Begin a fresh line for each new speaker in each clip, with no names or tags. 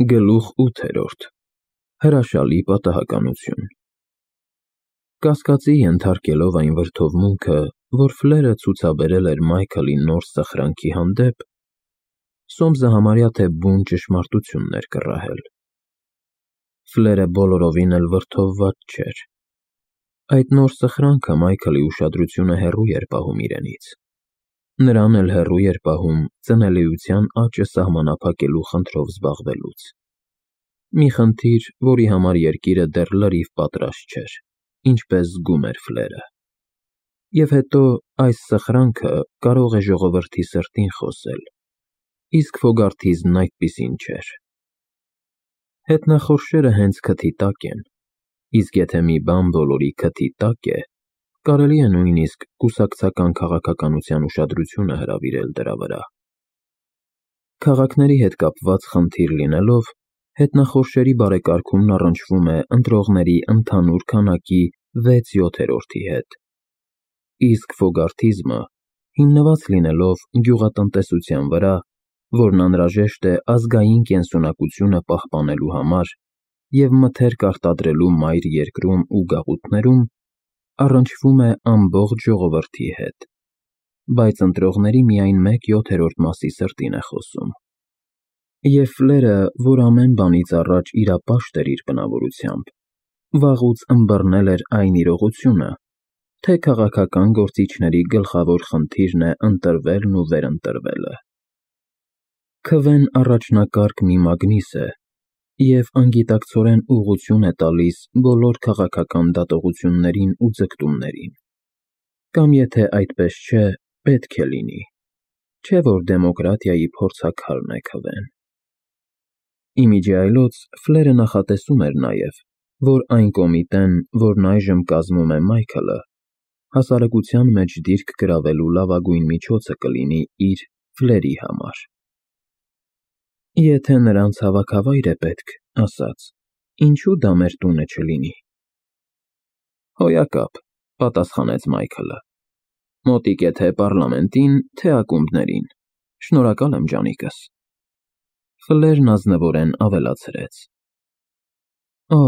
Գլուխ 8. Հրաշալի պատահականություն։ Կասկածի ենթարկելով այն վրդովմունքը, որ Ֆլերը ցուցաբերել էր Մայքլի նոր սխրանքի հանդեպ, Սոմսը համարյա թե բուն ճշմարտություն էր կռահել։ Ֆլերը բոլորովին էլ վրդովված չէր։ Այդ նոր սխրանքը Մայքլի ուշադրությունը հեռու էր պահում իրենից։ Նրան էլ հեռու էր պահում ծնելիության աճը սահմանափակելու խնդրով զբաղվելուց։ Մի խնդիր, որի համար երկիրը դեռ լրիվ պատրաստ չէր, ինչպես զգում էր Ֆլերը։ Եվ հետո այս սխրանքը կարող է ժողովրդի սրտին խոսել, իսկ Ֆոգարթիզն այդպիսին չէր։ Հետնախորշերը հենց քթի տակ են, իսկ եթե մի բան բոլորի քթի տակ է, կարելի է նույնիսկ կուսակցական քաղաքականության ուշադրությունը հրավիրել դրա վրա։ Քաղաքների հետ կապված խնդիր լինելով, հետնախորշերի բարեկարգումն առնչվում է ընտրողների ընդհանուր քանակի 6/7-ի հետ, իսկ Ֆոգարթիզմը հիմնված լինելով գյուղատնտեսության վրա, որն անհրաժեշտ է ազգային կենսունակությունը պահպանելու համար և մթերք արտադրելու մայր երկրում ու գաղութներում, առնչվում է ամբողջ ժողովրդի հետ, բայց ընտրողների միայն 1/7 մասի սրտին է խոսում։ Եվ Ֆլերը, որ ամեն բանից առաջ իրապաշտ էր իր բնավորությամբ, վաղուց ըմբռնել էր այն իրողությունը, թե քաղաքական գործիչների գլխավոր խնդիրն է ընտրվելն ու վերընտրվելը։ Քվեն առաջնակարգ մի մագնիս է և անգիտակցորեն ուղղություն է տալիս բոլոր քաղաքական դատողություններին ու ձգտումներին, կամ եթե այդպես չէ, պետք է լինի, չէ որ դեմոկրատիայի փորձաքարն է քվեն։ Իմիջի այլոց Ֆլերը նախատեսում էր նաև, որ այն կոմիտեն, որն այժմ կազմում է Մայքլը, հասարակության մեջ դիրք գրավելու լավագույն միջոցը կլինի իր Ֆլերի համար։ Եթե նրանց հավաքավայր է պետք, ասաց, ինչու դա մեր տունը չլինի։ Հոյակապ, պատասխանեց Մայքլը, մոտիկ է թե պառլամենտին, թե ակումբներին, շնորհակալ եմ ջանիկս։ Ֆլերն ազնվորեն ավելացրեց. Օ,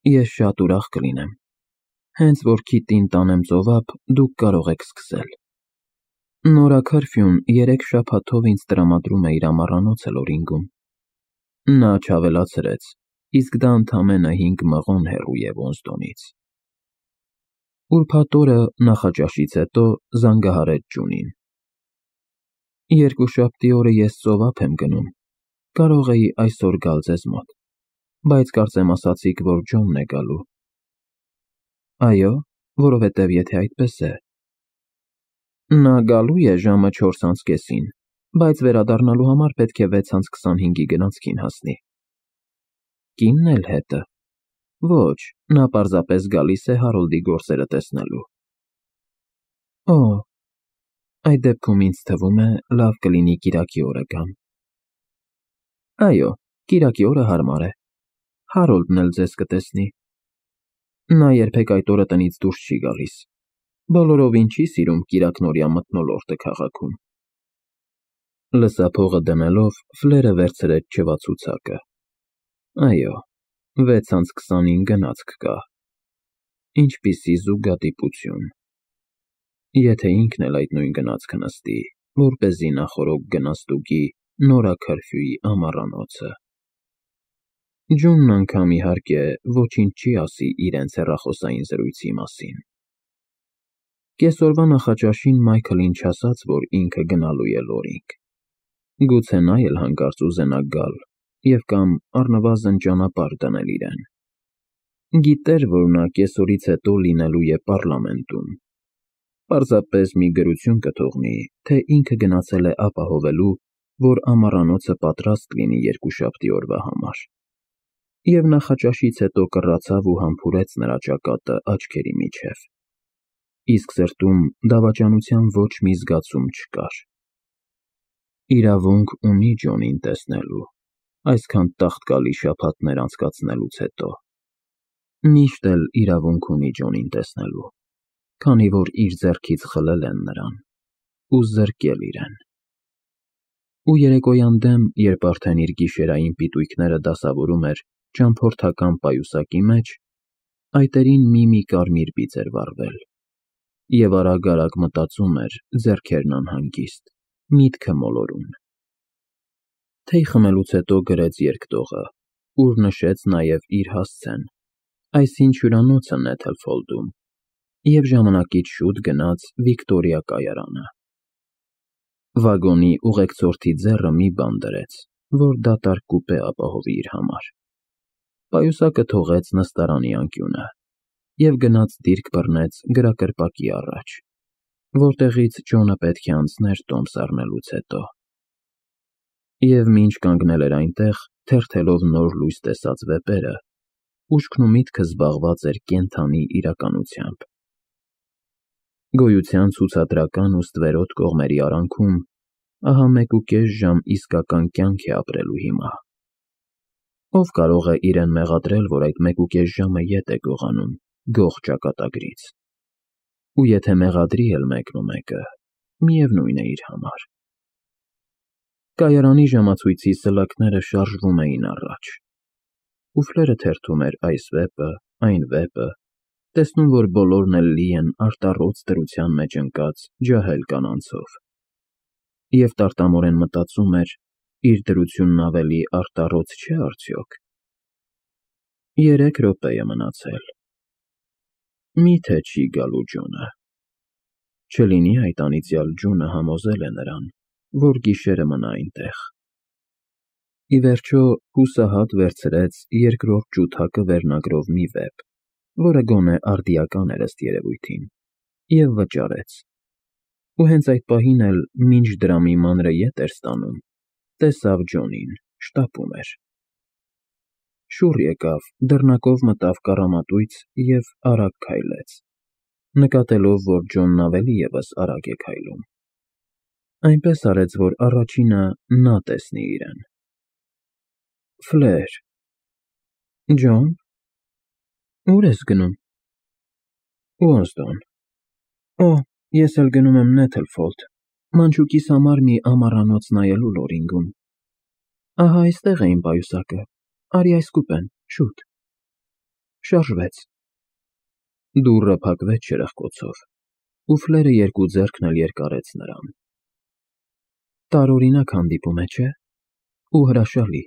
ես շատ ուրախ կլինեմ, հենց որ Քիթին տանեմ ծովափ, դուք կարող եք սկսել։ Նորա Քարֆյուն 3 շաբաթով ինձ տրամադրում է իր ամառանոցը Լորինգում։ Նա չավելացրեց, իսկ դա ընդամենը 5 մղոն հեռու է Ոստոնից։ Ուրբաթ օրը նախաճաշից հետո զանգահարեց Ջունին։ Երկուշաբթի օրը ես ծովափ եմ գնում, կարող էի այսօր գալ ձեզ մոտ, բայց կարծեմ ասացիք, որ Ջոնն է գալու։ Այո, որովհետև եթե այդպես է։ Նա գալու է ժամը 4:30-ին, բայց վերադառնալու համար պետք է 6:25-ի գնացքին հասնի։ Կինն էլ հետը։ Ոչ, նա պարզապես գալիս է Հարոլդի գործերը տեսնելու։ Օ, այդ դեպքում ինձ թվում է լավ կլինի կիրակի օրը գամ։ Այո, կիրակի օրը հարմար է։ Հարոլդն էլ ձեզ կտեսնի։ Նա երբեք այդ օրը տնից դուրս չի գալիս։ Բոլորովին չի սիրում կիրակնօրյա մթնոլորտը քաղաքում։ Լսափողը դնելով Ֆլերը վերցրեց չվացուցակը։ Այո, 6:29 գնացք կա։ Ինչպիսի զուգադիպություն։ Եթե ինքն էլ այդ նույն գնացքը նստի, որպեսզի նախօրոք գնաստուգի Նորա Քարֆյուի ամառանոցը։ Ջունն անգամ իհարկե ոչինչ չի ասի իրենց հեռախոսային զրույցի մասին։ Կեսօրվա նախաճաշին Մայքլին չասաց, որ ինքը գնալու է Լորինգ։ Գուցե նա էլ հանկարծ ուզենա գալ և կամ առնվազն ճանապարհ դնել իրեն։ Գիտեր, որ նա կեսօրից հետո լինելու է պառլամենտում։ Պարզապես մի գրություն կթողնի, թե ինքը գնացել է ապահովելու, որ ամառանոցը պատրաստ լինի երկուշաբթի օրվա համար։ Եվ նախաճաշից հետո կռացավ ու համբուրեց նրա ճակատը աչքերի միջև։ Իսկ սրտում դավաճանության ոչ մի զգացում չկար։ Իրավունք ունի Ջոնին տեսնելու, այսքան տաղտկալի շաբաթներ անցկացնելուց հետո։ Միշտ էլ իրավունք ունի Ջոնին տեսնելու, քանի որ իր ձեռքից խլել են նրան ու զրկել իրեն։ Ու երեկոյան դեմ, երբ արդեն իր գիշերային պիտույքները դասավորում էր ճամփորդական պայուսակի մեջ, այտերին մի կարմիր բիծ էր վառվել, և արագ-արագ մտածում էր, ձեռքերն անհանգիստ, միտքը մոլորուն։ Թեյ խմելուց հետո գրեց երկտողը, ուր նշեց նաև իր հասցեն, այսինչ հյուրանոցը Նեթլֆոլդում, և ժամանակից շուտ գնաց Վիկտորիա կայարանը։ Վագոնի ուղեկցորդի ձեռը մի բան դրեց, որ դատարկ կուպե ապահովի իր համար։ Պայուսակը թողեց նստարանի անկյունը և գնաց դիրք բռնեց գրակրպակի առաջ, որտեղից Ջոնը պետք է անցներ տոմս առնելուց հետո։ Եվ մինչ կանգնել էր այնտեղ, թերթելով նոր լույս տեսած վեպերը, ուշքն ու միտքը զբաղված էր կենդանի իրականությամբ։ Գոյության ցուցադրական ու ստվերոտ կողմերի արանքում ահա 1.5 ժամ իսկական կյանք է ապրելու հիմա։ Ով կարող է իրեն մեղադրել, որ այդ 1.5 ժամը ետ է գողանում, գող ճակատագրից։ Ու եթե մեղադրի էլ մեկն ու մեկը, միևնույն է իր համար։ Կայարանի ժամացույցի սլաքները շարժվում էին առաջ։ Ուֆլերը թերթում էր այս վեպը, այն վեպը, տեսնում, որ բոլորն էլ լի են արտառոց դրության մեջ ընկած ջահել կանանցով։ Եվ տարտամորեն մտածում էր, իր դրությունն ավելի արտառոց չէ՞ արդյոք։ 3 րոպե է մնացել։ Մի՞թե չի գալու Ջոնը։ Չլինի այդ անիծյալ Ջունը համոզել է նրան, որ գիշերը մնա այնտեղ։ Ի վերջո հուսահատ վերցրեց 2-րդ ջութակը վերնագրով մի վեպ, որը գոնե արդիական էր ըստ երևույթին, և վճարեց։ Ու հենց այդ պահին էլ, մինչ դրամի մանրը ետ էր ստանում, տեսավ Ջոնին, շտապում էր։ Շուռ եկավ, դռնակով մտավ կառամատույց և արագ քայլեց, նկատելով, որ Ջոնն ավելի ևս արագ է քայլում։ Այնպես արեց, որ առաջինը նա տեսնի իրեն։ Ֆլեր։ Ջոն։ Ո՞ւր ես գնում։ Ուոզդոն։ Օ, ես էլ գնում եմ Նեթլֆոլդ, մանչուկիս համար մի ամառանոց նայելու Լորինգում։ Ահա այստեղ է իմ պայուսակը, արի այս կուպեն, շուտ։ Շարժվեց։ Դուռը փակվեց շրխկոցով, ու Ֆլերը երկու ձեռքն էլ երկարեց նրան։ Տարօրինակ հանդիպում է, չէ՞։ Ու հրաշալի։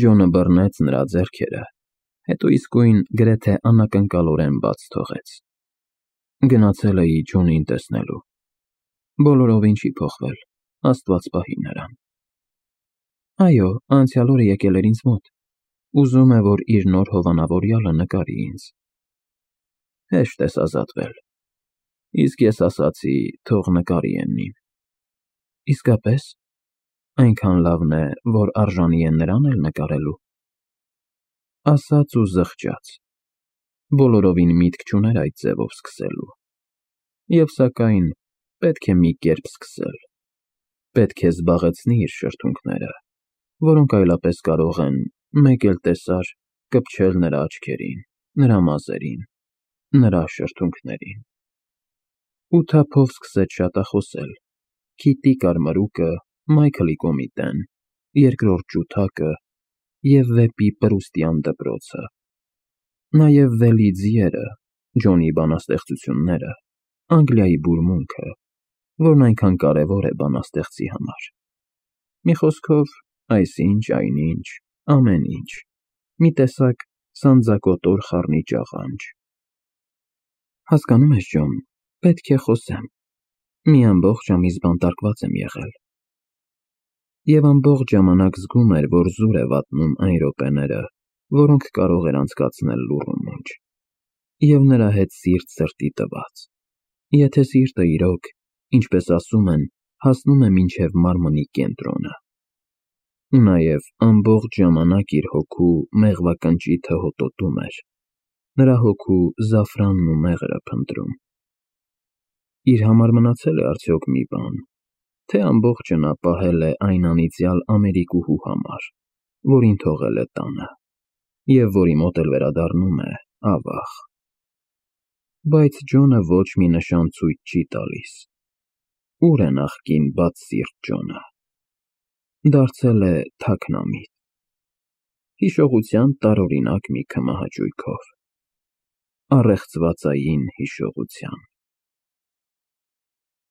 Ջոնը բռնեց նրա ձեռքերը, հետո իսկույն գրեթե անակնկալորեն բաց թողեց։ Գնացել էի Ջոնին տեսնելու։ Բոլորովին չի փոխվել, Աստված պահի նրան։ Այո, անցյալ օրը եկել էր ինձ մոտ։ Ուզում է, որ իր նոր հովանավորյալը նկարի ինձ։ Հեշտ ես ազատվել։ Իսկ ես ասացի, թող նկարի Էննին։ Իսկապես։ Այնքան լավն է, որ արժանի է նրան էլ նկարելու։ Ասաց ու զղջաց։ Բոլորովին միտք չուներ այդ ձևով սկսելու։ Եվ սակայն պետք է մի կերպ սկսել։ Պետք է զբաղեցնի իր շրթունքները, որոնք այլապես կարող են, մեկ էլ տեսար, կպչել նրա աչքերին, նրա մազերին, նրա շրթունքներին։ Ու թափով սկսեց շատախոսել. Քիթի կարմրուկը, Մայքլի կոմիտեն, 2-րդ ջութակը և վեպի Պրուստյան դպրոցը։ Նաև Վելի ձիերը, Ջոնի բանաստեղծությունները, Անգլիայի բուրմունքը, որն այնքան կարևոր է բանաստեղծի համար։ Մի խոսքով, այսինչ, այնինչ, ամեն ինչ, մի տեսակ սանձակոտոր խառնիճ աղանջ։ Հասկանում ես, Ջոն, պետք է խոսեմ։ Մի ամբողջ ամիս բանտարկված եմ եղել։ Եվ ամբողջ ժամանակ զգում էր, որ զուր է վատնում այն րոպեները, որոնք կարող էր անցկացնել լուռ ու մունջ։ Եվ նրա հետ սիրտ սրտի տված։ Եթե սիրտը իրոք, ինչպես ասում են, հասնում է մինչև մարմնի կենտրոնը։ Ու նաև ամբողջ ժամանակ իր հոգու մեղվակնճիթը հոտոտում էր, նրա հոգու զաֆրանն ու մեղրը փնտրում։ Իր համար մնացել է արդյոք մի բան, թե ամբողջը նա պահել է այն անիծյալ Ամերիկուհու համար, որին թողել է տանը, և որի մոտ էլ վերադառնում է, ավաղ։ Բայց Ջոնը ոչ մի նշան ցույց չի տալիս։ Ո՞ւր է նախկին բաց սիրտ Ջոնը։ Դարձել է թաքնամիտ, հիշողության տարօրինակ մի քմահաճույքով, առեղծվածային հիշողության։